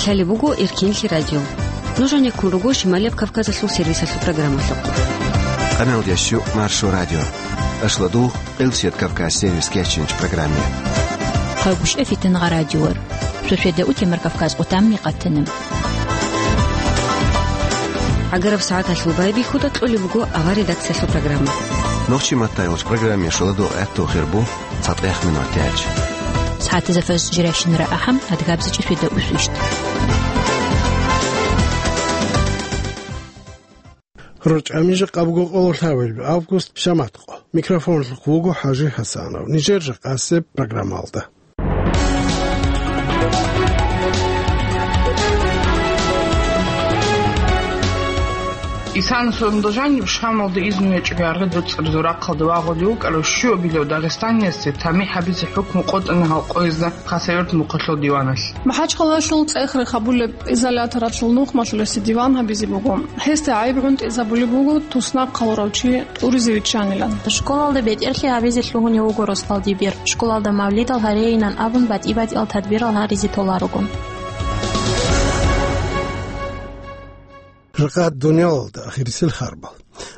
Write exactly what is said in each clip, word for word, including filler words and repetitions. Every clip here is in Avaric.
Лъалеб буго Эркенлъи радио. Нуж гьанеккун руго Шималияб Кавказалъул сервисалъул программалъухъ. Къаналдящу Маршо радио. Ашладу Къилсият Кавказ сервис кечинч программе. Хъагушев Фитнагъа радиор. Суседа у Темир Кавказ къутамни къатана. ГӀагараб сагӀаталъул байбихьуда кьолеб буго авар редакциялъул программа. Нохчи маттайолч программе шоладо гӀатту хирбу. ЦатӀех минут тяч. СагӀатазда фаз жиращинара ахӀам, адгабзичӀи суда усвищт. РучӀами жакъа буго къоло лъабабилеб август, шаматкъо. Микрофонлъухъ вуго ХӀажи ХӀасанов. Нижер жакъасеб программалда. Исан Сундужаниб Шамалда изну гьечӀого яргъи дуцӀцӀаризул рахъалде вагъулев вукӀарав щуабилев дагъистаниясде тамихӀ гьабизе хӀукму къотӀана гьал къоязда Хасавюрт мухъалъул диваналъ. МахӀачхъалалъул цӀех рехабулеб изоляторалъул нухмалъулесе диван гьабизе буго. Гьесда гӀайиб гӀунтӀизабулеб буго туснахъ хъалурав чи тӀуризе виччанилан. Школалда бетӀерлъи гьабизе лъугьунев вуго Росдал Дибир. Школалда мавлидал гьарейинан абун батӀи-батӀиял тадбирал гьаризе толарого. Ракъат дуниялалда ахирисел харбал.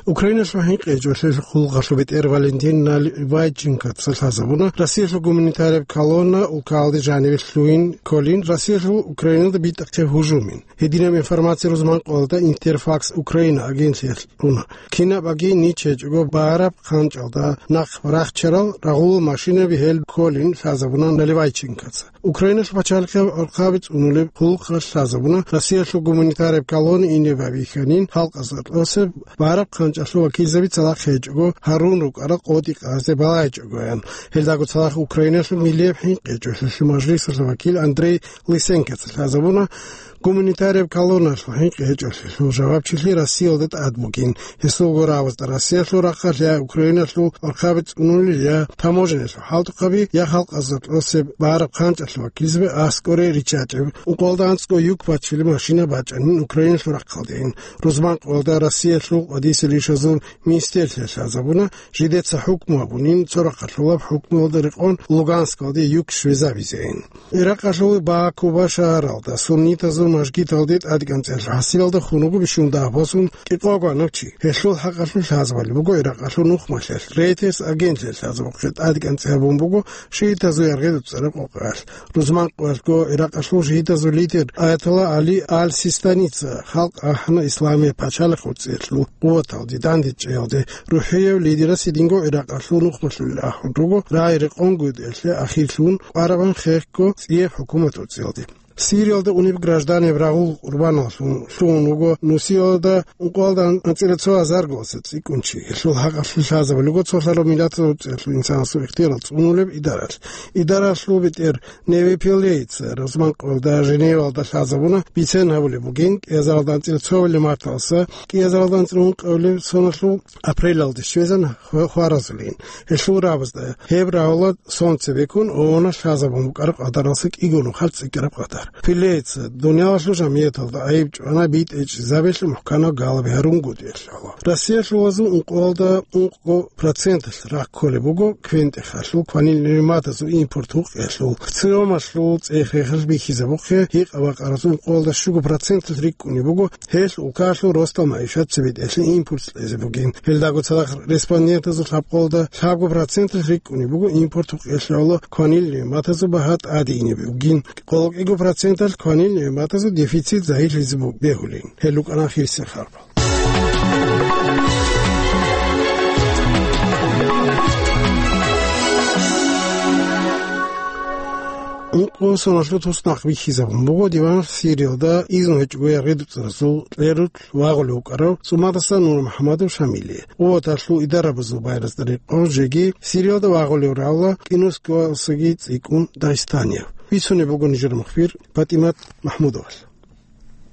Украиналъул хӀинкъи гьечӀолъиялъул хъулухъалъул бетӀер Валентин Наливайченкоца лъазабуна Россиялъул гуманитарияб колонна улкалде жаниве лъугьин кколин Россиялъул Украиналда битӀахъе гьужумин. Гьединаб информация рузманкъоялда Интерфакс Украина агентлъиялъ уна. Кинаб аги нич гьечӀого бараб хъанчӀалда нахъ рахчарал рагъулал машинаби гьел кколин лъазабуна Наливайченкоца. Украиналъул пачалихъ гӀурхъаби цӀунулеб хъулухъалъ лъазабуна Россиялъул гуманитарияб колонна ине байбихьанин халкъазда кьосеб бараб хъанчӀалъул вакилзаби цадахъ гьечӀого гьарун рукӀарал къотӀи къазе балагьичӀогоян. Гьелдаго цадахъ Украиналъул миллияб хӀинкъи гьечӀолъиялъул мажлисалъул вакил Андрей Лысенкоца лъазабуна, гуманитарияб колонналъул хӀинкъи гьечӀолъиялъул жавабчилъи Россиялда тӀад бугин. Гьесул гурабазда Россиялъул рахъалъ я Украиналъул гӀурхъаби цӀунулел, я таможенялъул хӀалтӀухъаби, я халкъазда кьосеб бараб хъанчӀалъул вакилзаби аскӀоре риччачӀеб. Ункъоялда анцӀго юк бачили машина бачӀанин Украиналъул рахъалдейин. Рузманкъоялда Россиялъул къвадисел ишазул министрлъиялъ лъазабуна, жидеца хӀукму гьабунин цо рахъалъулаб хӀукмуялда рекъон Луганскалде юк щвезабизейин. Иракъалъул Бакуба шагьаралда суннитазул мажгиталде тӀадекӀанцӀиялъул хӀасилалда хун вуго бищун дагьаб босун кӀикъого гьанав чи. Гьелъул хӀакъалъулъ лъазабали буго Иракъалъул нухмалъиялъ. Рейтерс агентлъиялъ лъазабухъе тӀадекӀанцӀи гьабун буго шиитазул яргъи дуцӀцӀараб къокъаялъ. Рузманкъоялъго Иракъалъул шиитазул лидер Аятолла Али Аль-Систаница халкъ ахӀана исламияб пачалихъ гьуцӀиялъул къуваталде дандечӀеялде. РухӀияв лидерас гьединго Иракъалъул нухмалъулел ахӀун руго, рагӀи-рекъон гьудиялъе ахирлъун къварабан хехго цӀияб хӀукумат гьуцӀиялде. Сириялда унеб гражданин рагъул къурбаналлъун лъугьун вуго Нусиялда ункъоялда анцӀила цо гьазар госица цӀикӀкӀун чи. Гьелъул хӀакъалъулъ лъазабулего цолъарав миллатазул гьуцӀиялъул инсанасул ихтиярал цӀунулеб идаралъ. Идаралъул бетӀер Неви Пелейца рузманкъоялда Женевалда лъазабуна, бицен гьабулеб бугин, кӀиазаралда анцӀила цовелеб марталса кӀиазаралда анцӀила ункъоялил соналъул апрелалде щвезан хва-, хваразулин. Гьелъул рагӀабазда гьеб рагӀула сон цебеккун ООН-алъ лъазабун букӀараб къадаралса кӀиго нухалъ цӀикӀкӀараб къадар. Пелейца дуниялалъул жамияталда гӀайиб чӀвана битӀичӀзабилъ мухӀканаб галаби гьарун гьудиялъ. Россиялъул вазу ункъоялда ункъго проценталъ рахъ кколеб буго квен-тӀехалъул кванил нигӀматазул импорт гьукъиялъул. ЦӀиямалъул цӀех-рехалъ бихьизабухъе, гьикъа-бакъаразул ункъоялда щуго проценталъ рикӀкӀунеб буго гьелъ улкаялъул росдал магӀишат цебетӀелъи импорт кьезе бугин. Гьелдаго цадахъ респондентазул лъабкъоялда лъабго проценталъ рикӀкӀунеб буго импорт гьукъиялъ кванил нигӀматазул багьа тӀаде ине бугин. Къоло кӀиго проценталъ кванил нигӀматазул дефицит загьирлъизе бу-, бегьулин. Гьел рукӀана хирсин харбал. Ункъо соналъул туснахъ бихьизабун буго диван Сириялда изну гьечӀого яргъи дуцӀцӀаразул кьеруялъ вагъулев вукӀарав ЦӀумадаса Нурмухьамадов Шамилие. Къуваталъул идарабазул байбихьазда рекъон жеги Сириялда вагъулев равла кӀинусгоялдасаги цӀикӀкӀун дагъистанияв. Бицунеб буго нижер мухбир ПатӀимат МахӀмудовалъ.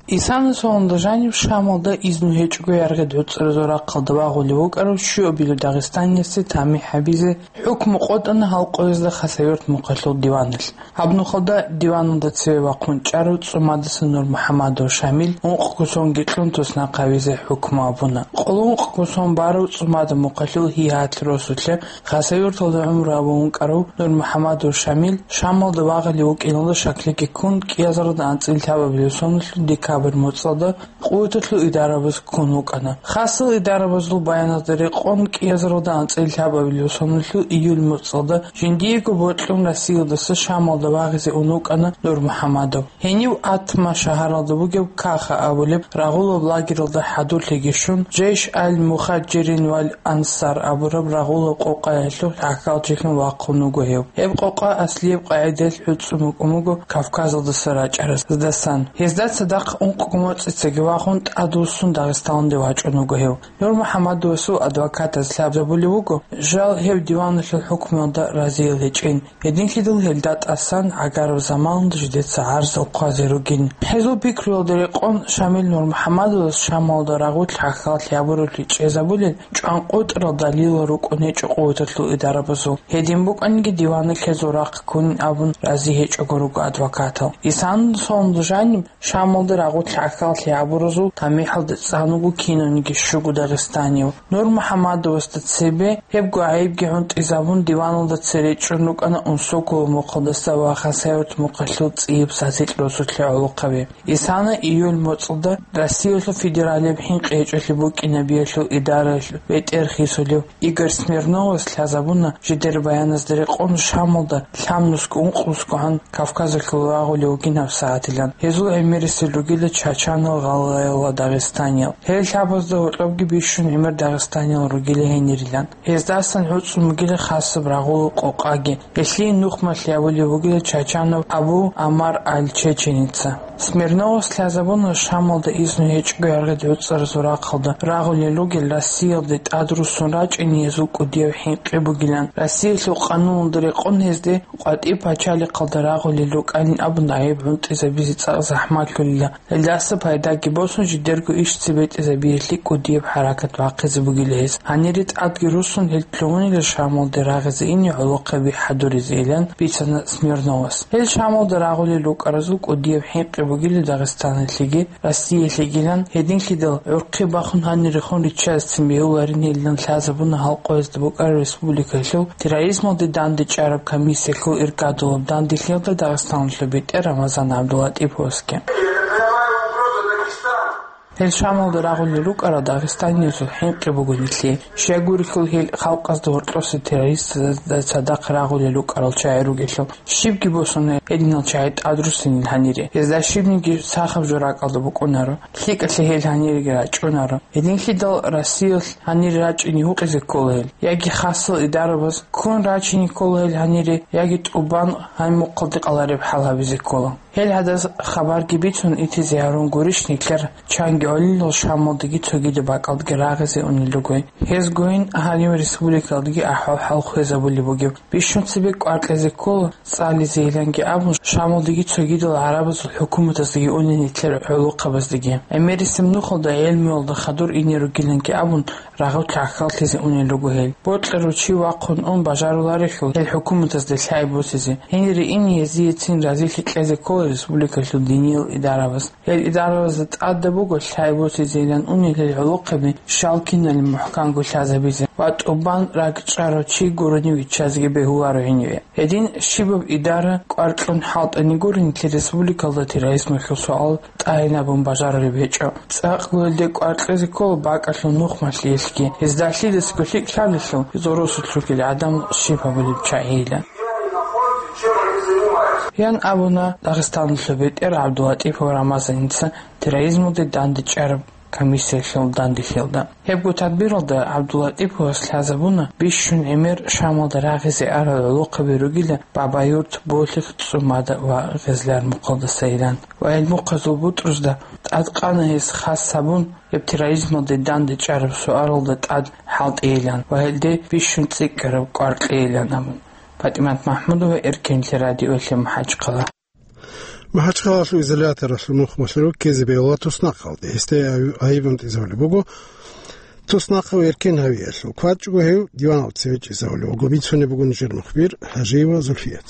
Исана соналда жаниб Шамалда изну гьечӀого яргъи гӀуцӀаразул рахъалда вагъулев вукӀарав щуабилев дагъистаниясе тамихӀ гьабизе хӀукму къотӀана гьал къоязда Хасавюрт мухъалъул диваналъ. Гьаб нухалда диваналда цеве вахъун чӀарав ЦӀумадаса Нурмухьамадов Шамил ункъго сонги кьун туснахъ гьавизе хӀукму абуна. Къоло ункъго сон барав ЦӀумада мухъалъул гьигьат росулъе Хасавюрталда гӀумру гьабун вукӀарав Нурмухьамадов Шамил Шамалда вагъулев вукӀиналда шаклъиги ккун, кӀиазаралда анцӀила лъабабилев соналъул декабрь моцӀалда къуваталъул идарабаз ккун вукӀана. Хасал идарабазул баяназда рекъон, кӀиазаралда анцӀила лъабабилев соналъул июль моцӀалда жиндиего бокьун Россиялдаса Шамалда вагъизе ун вукӀана Нурмухьамадов. Гьенив Атма шагьаралда бугеб Каха абулеб рагъулаб лагералда хӀадурлъиги щун, Жейш аль-Мухаджирин валь Ансар абураб рагъулаб къокъаялъул гӀахьалчилъун вахъун вуго гьев. Гьеб къокъа аслияб къагӀидаялъ гӀуцӀун букӀун буго Кавказалдаса рачӀараздасан. Гьезда цадахъ ункъго моцӀицаги вахун, тӀадвуссун Дагъистаналде вачӀун вуго гьев. Нурмухьамадовасул адвокатаз лъабзабулев вуго, жал гьев диваналъул хӀукмуялда разиял гьечӀин. Гьединлъидал гьелда тӀасан гӀагараб заманалда жидеца гӀарзал хъвазе ругин. Гьезул пикруялда рекъон Шамил Нурмухьамадовас Шамалда рагъулъ гӀахьаллъи гьабуралъи чӀезабулел чӀванкъотӀарал далилал рукӀун гьечӀо къуваталъул идарабазул. Гьедин букӀаниги диваналъ гьезул рахъ ккунин абун рази гьечӀого руго адвокатал. Исана соналда жаниб Шамалда рагъулъ гӀахьаллъи гьабуразул тамихӀалда цӀан вуго кинавниги щуго дагъистанив. Нурмухьамадовасда цебе гьебго гӀайибги гӀунтӀизабун, диваналда цере чӀун рукӀана Унсокова мухъалдаса ва Хасавюрт мухъалъул цӀияб сасикь росулъе гӀолохъаби. Исана июль моцӀалда Россиялъул федералияб хӀинкъи гьечӀолъи букӀинабиялъул идараялъул бетӀер хисулев Игорь Смирновас лъазабуна, жидер баяназда рекъон Шамалда лъабнусго-ункънусгогӀан Кавказалъул вагъулев вугин гьабсагӀатилан. Гьезул гӀемерисел ругила чачанал, гъалгъаял ва дагъистаниял. Гьел лъабазда гьоркьобги бищун гӀемер дагъистаниял ругила гьенирилан. Гьездасан гӀуцӀун бугила хасаб рагъулаб къокъаги. Гьелъие нухмалъи абулеб бугила чачанав Абу Амар аль-Чеченица. Смирновас лъазабуна Шамалда изну гьечӀого яргъи гӀуцӀаразул рахъалда рагъулел ругел Россиялде тӀадруссун рачӀине гьезул кӀудияб хӀинкъи бугилан. Россиялъул къануналда рекъон гьезде къватӀиб пачалихъалда рагъулел рукӀанин абун гӀайиб гӀунтӀизабизе цӀакъ захӀмалъулила. Гьелдаса пайдаги босун, жидерго иш цебетӀезабиялъе кӀудияб хӀаракат бахъизе бугила гьез. Гьанире тӀадги руссун, гьел лъугьунила Шамалде рагъизе ине гӀолохъаби хӀадуризейилан бицана Смирновас. Гьел Шамалда рагъулел рукӀаразул кӀудияб хӀинкъи бугила Дагъистаналъеги Россиялъегилан, гьединлъидал гӀурхъи бахун гьанирехун риччазецин бегьуларинилан лъазабуна гьал къоязда букӀараб республикалъул терроризмалде дандечӀараб комиссиялъул иргадулаб данделъиялда Дагъистаналъул бетӀер Рамазан ГӀабдуллатӀиповасги. Гьел Шамалда рагъулел рукӀарал дагъистаниязул хӀинкъи буго нилъее. Щай гурелъул гьел халкъазда гьоркьоса террористазда цадахъ рагъулел рукӀарал чагӀи ругелъул. Щибги босуна гьединал чагӀи тӀадруссинил гьанире. Гьезда щибниги сахаб жо ракӀалда букӀунаро. ЛъикӀалъе гьел гьаниреги рачӀунаро. Гьединлъидал Россиялъ гьанире рачӀине гьукъизе ккола гьел. Яги хасал идарабаз ккун рачине ккола гьел гьанире, яги тӀубан гьай мухъалде къалареб хӀал гьабизе ккола. Гьел гьадаз хабарги бицун итизе гьарун гурищ нилъер чанги гӀолилал Шамалдаги цогидаб бакӀалдаги рагъизе унел ругой. Гьезгойин гьанив республикалдаги ахӀвал-хӀал хвезабулеб бугеб. Бищун цебе кӀвар кьезе ккола, цӀализейиланги абун, Шамалдаги цогидал гӀарабазул хӀукуматаздаги унел нилъер гӀолохъабаздаги. ГӀемерисеб нухалда гӀелмуялда хадур ине ругиланги абун, рагъулъ гӀахьаллъизе унел руго гьел. Бокьарав чи вахъун ун бажаруларелъул гьел хӀукуматазда лъай босизе. Гьенире ине гьезиецин разилъи кьезе ккола республикалъул диниял идарабаз. Гьел идарабазда тӀадаб буго лъай босизейилан унел гьел гӀолохъаби щал киналин мухӀканго лъазабизе ва тӀубан ракӀчӀарав чи гурони виччазеги бегьуларо гьениве. Гьедин щибаб идара кӀвар кьун хӀалтӀани гуро нилъер республикалда терроризмалъул суал тӀагӀинабун бажарулеб гьечӀо. ЦӀакъго гьелде кӀвар кьезе ккола бакӀалъул нухмалъиялъги, гьезда лъидасго лъикӀ лъалелъул, гьезул росулъ ругел гӀадан щиб гьабулеб чагӀийилан. Ян абуна Дагъистаналъул бетӀер ГӀабдуллатӀипов Рамазаница терроризмалде дандечӀараб комиссиялъул данделъиялда. Гьебго тадбиралда ГӀабдуллатӀиповас лъазабуна бищун гӀемер Шамалда рагъизе арал гӀолохъаби ругила Бабаюрт, Болъих, ЦӀумада ва Гъезлар мухъалдасайилан ва гьел мухъазул бутӀрузда тӀадкъана гьес хас гьабун, гьеб терроризмалде дандечӀараб суалалда тӀад хӀалтӀейилан ва гьелде бищун цӀикӀкӀараб кӀвар кьейилан абун. ПатӀимат МахӀмудова, Эркенлъи радиолъи, МахӀачхъала. МахӀачхъалаялъул изоляторалъул нухмалъул руккизе бегьула туснахъалде. Гьесда гьайиб-, гьайиб бунтӀизабулеб буго туснахъав эркен гьавиялъул. КватӀчӀого гьев диваналде цевечӀезавулеб буго. Бицунеб буго нижер мухбир ХӀажиева Зульфият.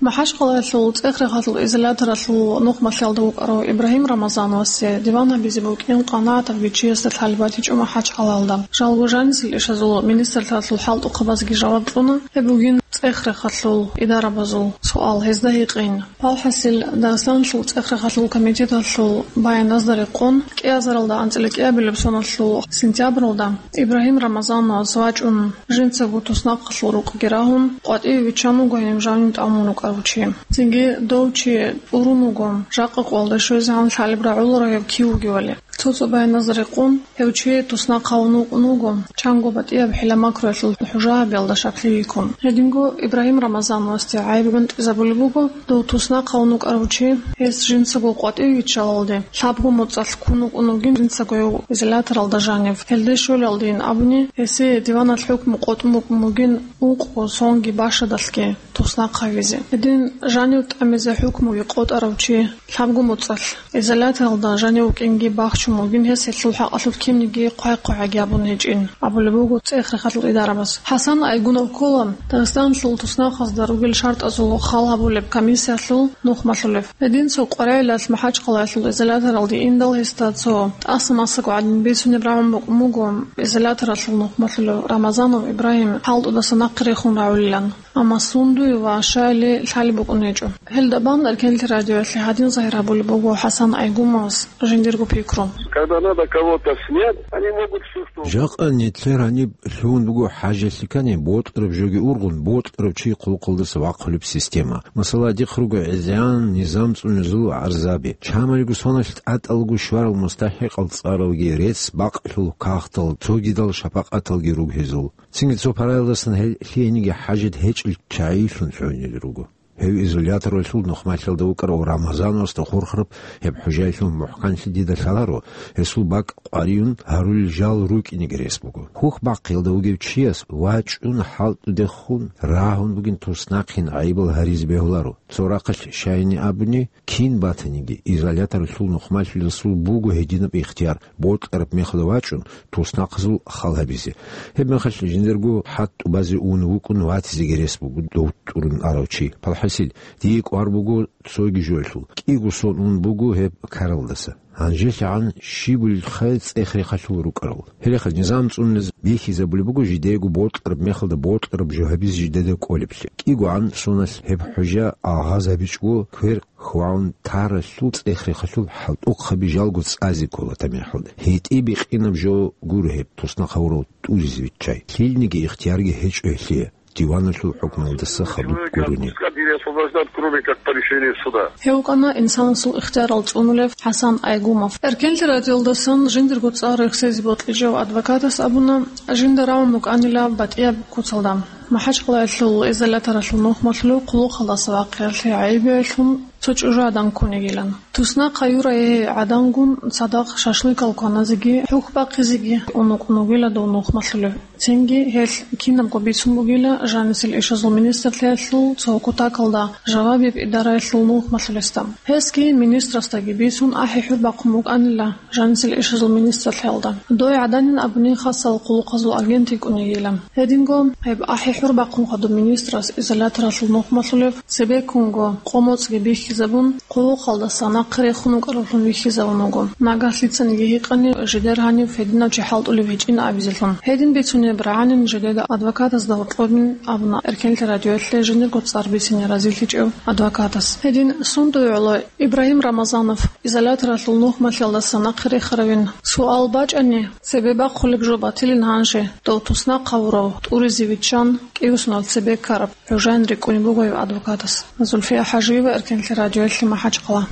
МахӀачхъалаялъул ЦӀехрехалъул изоляторалъул нухмалъиялда вукӀарав Ибрагьим Рамазановасде диван гьабизе букӀин къанагӀатабги чиясда лъалеб батичӀо МахӀачхъалаялда. Жалго жанисел ишазул министрлъиялъул хӀалтӀухъабазги жаваб кьуна, гьеб бугин ЦӀехрехалъул идарабазул суал, гьезда гьикъин. ПалхӀасил Дагъистаналъул ЦӀехрехалъул комитеталъул баяназда рекъон, кӀиазаралда анцӀила кӀиабилеб соналъул сентябралда Ибрагьим Рамазановас вачӀун, жинцаго туснахъалъул рукъги рагьун, къватӀиве виччан вуго гьениб жанив тӀамун вукӀарав чи. Цинги дов чи тӀурун вуго, жакъа къоялда щвезегӀан лъалеб рагӀуларо гьев кив вугевали. Цо-цо баяназда рекъон, гьев чи туснахъ гьавун вукӀун вуго, чанго батӀияб хӀила-макруялъул хӀужа гьабиялда щаклъи йиккун. Гьединго Ибрагьим Рамазановасде гӀайиб бунтӀизабулеб буго, дов туснахъ гьавун вукӀарав чи, гьес жинцаго къватӀиве виччалалде, лъабго моцӀалъ ккун вукӀун вугин жинцаго гьев изоляторалда жанив. Гьелде щолелдейин абуни, гьесие диваналъ хӀукму къотӀун букӀун бугин ункъго, сонги, башадалъги туснахъ гьавизе. Гьедин жанив тӀамизе хӀукмуги къотӀарав чи лъабго моцӀалъ изоляторалда жанив вукӀинги бахчун вугин, гьес гьелъул хӀакъалъулъ кинниги хъвай-хъвагӀаги гьабун гьечӀин, абулеб буго ЦӀехрехалъул идарабаз. ХӀасан Айгунов ккола Дагъистаналъул туснахъазда ругел шартӀазул хал гьабулеб комиссиялъул нухмалъулев. Гьедин цо къваригӀелалъ МахӀачхъалаялъул изоляторалде индал гьесда цо тӀаса-масаго гӀадин бицунеб рагӀун букӀун буго изоляторалъул нухмалъулев Рамазанов Ибрагьим хӀалтӀудаса нахъе рехун рагӀулилан. Амма сундуе ва щайили лъалеб букӀун гьечӀо. Гьелда бан Эркенлъи радиоялъе гьадин загьир гьабулеб буго ХӀасан Айгумовас жиндирго пикру. Когда надо кого-то снять, они могут всё что угодно. Жакъа нилъер гьаниб лъугьун буго хӀажалъи ккани, бокьараб жоги ургъун, бокьарав чи хъулухъалдаса вахъулеб система. Масала, дихъ руго гӀезегӀан низам цӀунезул гӀарзаби. Чамалиго соналъ тӀатӀалго щварал мустахӀикъал цӀаралги, рецц-бакълъул кагътал, цогидал шапакъаталги руго гьезул. Цинги цо параялдасан гьел лъиениги хӀажат гьечӀел чагӀилъун лъугьунел руго. Гьев изоляторалъул нухмалъиялда вукӀарав Рамазановасда хурхараб гьеб хӀужаялъул мухӀканлъи дида лъаларо, гьесул бакӀ къваригӀун гьарулел жал рукӀинеги рес буго. Хьухь-бахъиялда вугев чияс вачӀун хӀалтӀудехун рагьун бугин туснахъин гӀайибал гьаризе бегьуларо. Цо рахъалъ щайин абуни, кин батаниги, изоляторалъул нухмалъиялдасул буго гьединаб ихтияр, бокьараб мехалда вачӀун, туснахъазул хал гьабизе. Гьеб мехалъ жиндирго хӀатӀ тӀубазе ун вукӀун ватизеги рес буго дов тӀурун арав чи. ПалхӀасил, дие кӀвар буго цоги жоялъул. КӀиго сон ун буго гьеб ккаралдаса. ГьанжелъагӀан щибулелха ЦӀехрехалъул рукӀарал. Гьелеха низам цӀунез бихьизабулеб буго жидеего бокьараб мехалда бокьараб жо гьабизе жидеда кӀолеблъи. КӀигогӀан соналъ гьеб хӀужа агъазабичӀого квер хьвагӀун таралъул ЦӀехрехалъул хӀалтӀухъаби жалго цӀазе ккола тамихӀалда. ГьитӀи бикъинаб жо гуро гьеб туснахъ гьавурав тӀуризе виччай. Лъилниги ихтиярги гьечӀо гьелъие, диваналъул хӀукмалдаса хадуб гурони. Человека отпускать или освобождать, кроме как по решению суда. Гьев вукӀана инсанасул ихтиярал цӀунулев ХӀасан Айгумов. Эркенлъи радиоялдасан жиндирго цӀар рехсезе бокьичӀев адвокатас абуна, жинда рагӀун букӀанила батӀияб куцалда. МахӀачхъалаялъул изоляторалъул нухмалъулев хъулухъалдаса вахъиялъе гӀайибиялъун цо чӀужу гӀадан ккун йигилан. Туснахъа юрай гӀадангун цадахъ шашлыкал кваназеги, хӀухь бахъизеги ун вукӀун вугила дов нухмалъулев. Цинги гьелъ кинабго бицун бугила жанисел ишазул министрлъиялъул цо кутакалда жавабияб идараялъул нухмалъулесда. Гьесги министрасдаги бицун ахӀи-хӀур бахъун букӀанила жанисел ишазул министрлъиялда. Дой гӀаданин абуни хасал хъулухъазул агент йикӀун йигила. Гьединго гьеб ахӀи-хӀур бахъун хадуб министрас изоляторалъул нухмалъулев цебеккунго къо-моцӀги бихьизабун, хъулухъалдаса нахъе рехун вукӀаравлъун вихьизавун вуго. Нагагь лъицаниги гьикъани жидер гьанив гьединав чи хӀалтӀулев гьечӀин абизелъун. Гьедин бицунеб рагӀанин жидеда адвокатазда гьоркьобин абуна Эркенлъи радиоялъе жиндирго цӀар бицине разилъичӀев адвокатас. Гьедин сундуе гӀоло Ибрагьим Рамазанов изоляторалъул нухмалъиялдаса нахъе рехаравин суал бачӀани, цебе бахъулеб жо батилин гьанже, дов туснахъ гьавурав тӀуризе виччан, кӀиго сонал цебе ккараб хӀужаялъ рикӀкӀунеб буго гьев адвокатас. Зульфия ХӀажиева, Эркенлъи радиоялъе, МахӀачхъала.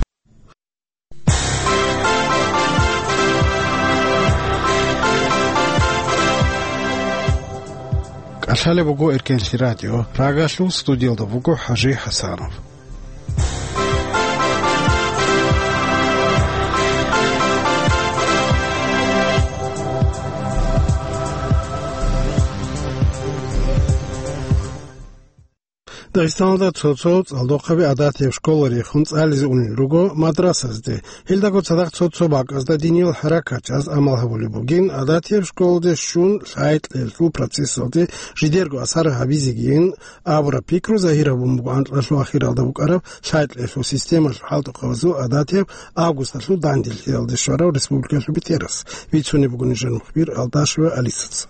КӀалъалеб буго Эркенлъи радио. Прагалъул студиялда вуго ХӀажи ХӀасанов. Дагъистаналда цо-цо цӀалдохъаби гӀадатияб школа рехун цӀализе унел руго мадрасазде. Гьелдаго цадахъ цо-цо бакӀазда диниял хӀаракатчияз амал гьабулеб бугин, гӀадатияб школалде щун лъай-кьеллъул процессалде жидерго асар гьабизегийин абураб пикру загьир гьабун буго анкьалъув ахиралда букӀараб лъай-кьеллъул системалъул хӀалтӀухъабазул гӀадатияб августалъул данделъиялде щварав республикалъул бетӀерас. Бицунеб буго нижер мухбир Алдашева Алисаца.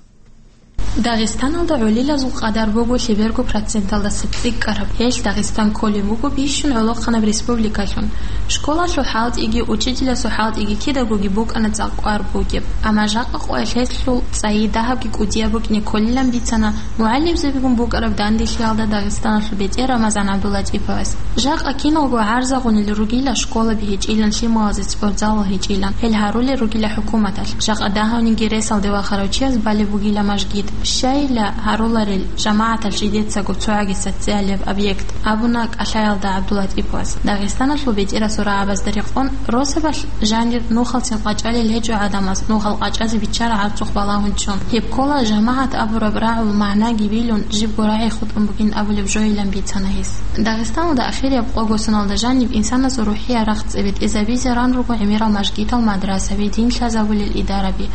Дагъистаналда гӀолилазул къадар буго лъеберго проценталдаса цӀикӀкӀараб. Гьелъ Дагъистан кколеб буго бищун гӀолохъанаб республикалъун. Школалъул хӀалтӀиги, учителасул хӀалтӀиги кидагоги букӀана цӀакъ кӀвар бугеб. Амма жакъа къоялъ гьелъул цӀайи дагьабги кӀудияб букӀине кколилан бицана мугӀалимзабигун букӀараб данделъиялда Дагъистаналъул бетӀер Рамазан ГӀабдуллатӀиповас. Жакъа киналго гӀарзагъунел ругила школаби гьечӀилан, лъималазе спортзалал гьечӀилан, гьел гьарулел ругила хӀукуматалъ. Жакъа дагьавниги ресалде вахарав чияс балеб бугила мажгит. Щайила гьаруларел жамагӀаталъ жидецаго цогӀаги социалияб объект, абуна кӀалъаялда ГӀабдуллатӀиповас. Дагъистаналъул бетӀерасул рагӀабазда рекъон, росабалъ жанир нухалцин къачӀалел гьечӀо гӀадамаз, нухал къачӀазе биччара гӀарцухъ балагьун ччун. Гьеб ккола жамагӀат абураб рагӀул магӀнаги билун, жибго рагӀи хутӀун бугин абулеб жойилан бицана гьес. Дагъистаналда ахирияб къого соналда жаниб инсанасул рухӀиял рахъ цӀебе тӀезабизе ран руго гӀемерал мажгитал, мадрасаби, дин лъазабулел идараби.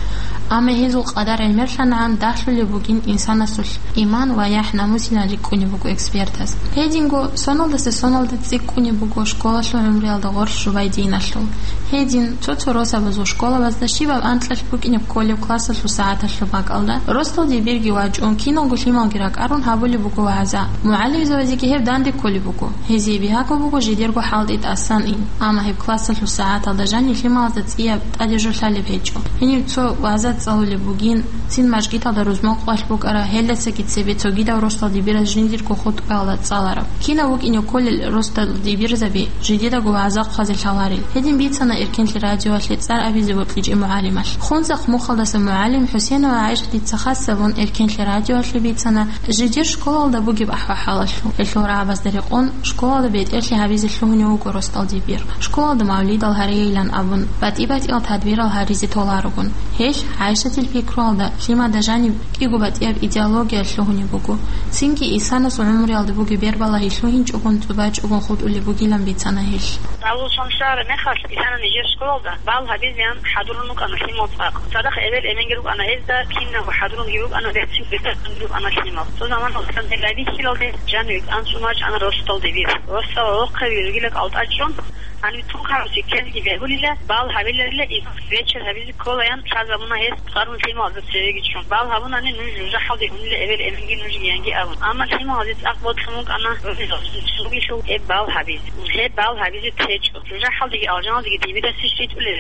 Амма гьезул къадар гӀемерлъанагӀан дагьлъулеб бугин инсанасулъ иман ва яхӀ-намусилан рикӀкӀунеб буго экспертас. Гьединго соналдаса соналда цӀикӀкӀунеб буго школалъул гӀумруялда гъорлъ жубай диналъул. Гьедин, цо-цо росабазул школабазда щибаб анкьалъ букӀинеб кколеб классалъул сагӀаталъул бакӀалда, росдал дибирги вачӀун, киналго лъималги ракӀарун гьабулеб буго вагӀза. МугӀалимзабазеги гьеб данде кколеб буго. Гьезие бигьаго буго жидерго хӀалтӀи тӀасан ин. Амма гьеб классалъул сагӀаталда жанив лъималазда цӀияб тӀаде жо лъалеб гьечӀо. Гьенив цо вагӀза цӀалулеб бугин, цин мажгиталда рузман къвалъ букӀара, гьелдасаги цебе цогидав росдал дибираз жиндирго хутӀбаялда цӀалараб. Кинав вукӀине кколел росдал дибирзаби жидедаго вагӀза хъвазе лъаларел. Гьедин бицана Эркенлъи радиоялъе цӀар абизе бокьичӀеб мугӀалималъ. Хунзахъ мухалдаса мугӀалим ХӀусейнова ГӀайшатица хас гьабун Эркенлъи радиоялъе бицана жидер школалда бугеб ахӀвал-хӀалалъул. Гьелъул рагӀабазда рекъон, школалда бетӀерлъи гьабизе лъугьунев вуго росдал дибир. Школалда мавлидал гьарейилан абун, батӀи-батӀиял тадбирал гьаризе толарогун. Гьелъ, ГӀайшатил пикруялда, лъимада жаниб кӀиго батӀияб идеология лъугьунеб буго. Цинги инсанасул гӀумруялда бугеб бербалагьи лъугьинчӀогун, цӀубачӀогун хутӀулеб бугилан бицана гьелъ. Авул шамсара мехалъ, исана нижер школалда бал гьабизеян хӀадурун рукӀана лъимал цӀакъ. Цадахъ эбел-эменги рукӀана гьезда, кинабго хӀадурунги рукӀана, рецин бетӀерги рукӀана лъимал. Цо заман гьасан гьел райбихьилалде жаниве анцӀун вачӀана росдал дибир. Росдал гӀолохъаби ругила кӀалтӀа чӀун, гьаниб тун хъаруси ккезеги бегьулила, бал гьабиларила, и вечер гьабизе кколаян лъазабуна гьес, къарун лъималазда цевеги чӀун. Бал гьабунани нуж жужахӀалде унила эбел-эменги нужги янги абун. Амма лъималазе цӀакъ бокьун букӀана гӀунилал цогилъул гьеб бал гьабизе. Гьеб бал гьабизе течӀо. ЖужахӀалдеги алжаналдеги дибирасе щвитӀулел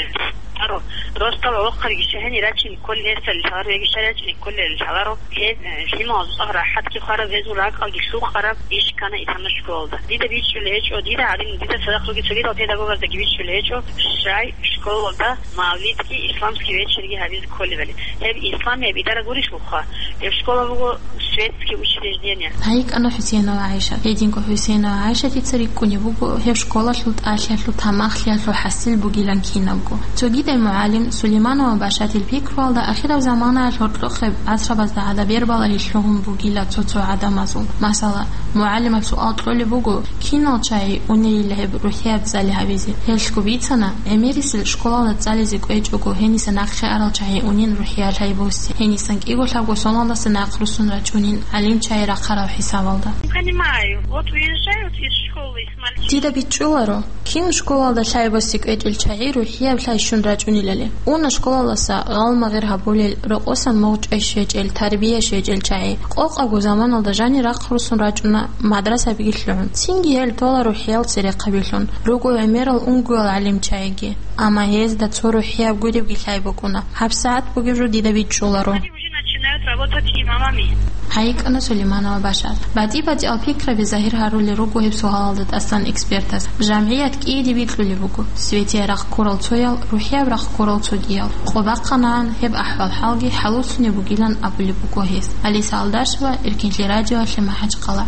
гьаро. Росдал гӀолохъабиги щай гьенир рачине кколел гьесда лъаларо, яги щай рачине кколел лъаларо. Гьеб, э, лъималазул цӀакъ рахӀатги хвараб, гьезул ракӀалги лъукъараб иш ккана итана школалда. Дида бичӀчӀулей гьечӀо, дида гӀадин, дида цадахъ ругел цогидал педагогаздаги бичӀчӀулей гьечӀо, щай школалда мавлидги исламский вечерги гьабизе кколебали. Гьеб исламияб идара гурищ вухъа? Гьеб школа буго светский учреждение. ГьайикӀана ХӀусейнова ГӀайшат. Гьединго ХӀусейнова ГӀайшатица рикӀкӀунеб буго гьеб школалъул тӀалъиялъул, тамахлъиялъул хӀасил бугилан кинабго. Цогидай мугӀалим Сулейманова Башатил пикруялда ахираб заманаялъ гьоркьохъеб гӀасрабазда гӀадаб бербалагьи лъугьун бугила цо-цо гӀадамазул. Масала, мугӀалимаб суал кьолеб буго, кинал чагӀи унейила гьеб рухӀияб цӀали гьабизе? Гьелъго бицана, гӀемерисел школалда цӀализе кӀвечӀого, гьениса нахъе арал чагӀи унин рухӀиял гьайбуси, гьенисан кӀиго-лъабго соналдаса нахъ руссун рачӀунин гӀалим чагӀи рахъарал хӀисабалда. Не понимаю. Вот уезжают из школы. Дида бичӀчӀуларо, кин школалда лъай боси кӀвечӀел чагӀи рухӀияб лъай щун рачӀунилали. Уна школалдаса гъалмагъир гьабулел, рокъосан мугъчӀвай щвечӀел, тарбия щвечӀел чагӀи. Къокъабго заманалда жанир рахъ руссун рачӀуна мадрасабиги лъугӀун. Цинги гьел тола рухӀиял церехъабилъун, руго гӀемерал унгоял гӀалимчагӀиги. Амма гьезда цо рухӀияб гуребги лъай букӀуна. ГьабсагӀат бугеб жо дида бичӀчӀуларо. Уже начинают работать имамами. ГьайикӀана Сулейманова Башат. БатӀи-батӀиял пикраби загьир гьарулел руго гьеб суалалда тӀасан экспертас. ЖамгӀият кӀиеде бикьулеб буго: светияб рахъ ккурал цоял, рухӀияб рахъ ккурал цогиял. Къо бахъанагӀан гьеб ахӀвал-хӀалги хӀалуцунеб бугилан абулеб буго гьес. Алиса Алдашева, Эркенлъи радиоялъе, МахӀачхъала.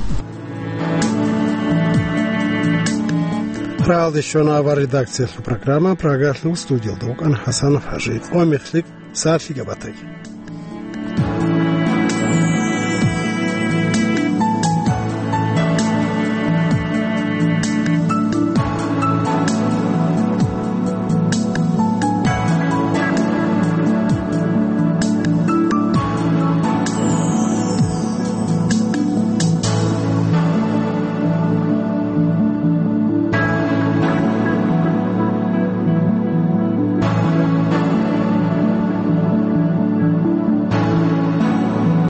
Рагьалде щвана авар редакциялъул программа, Прагалъул студиялда вукӀана ХӀасанов ХӀажи. Къо мехлъи, сахлъи габатаги.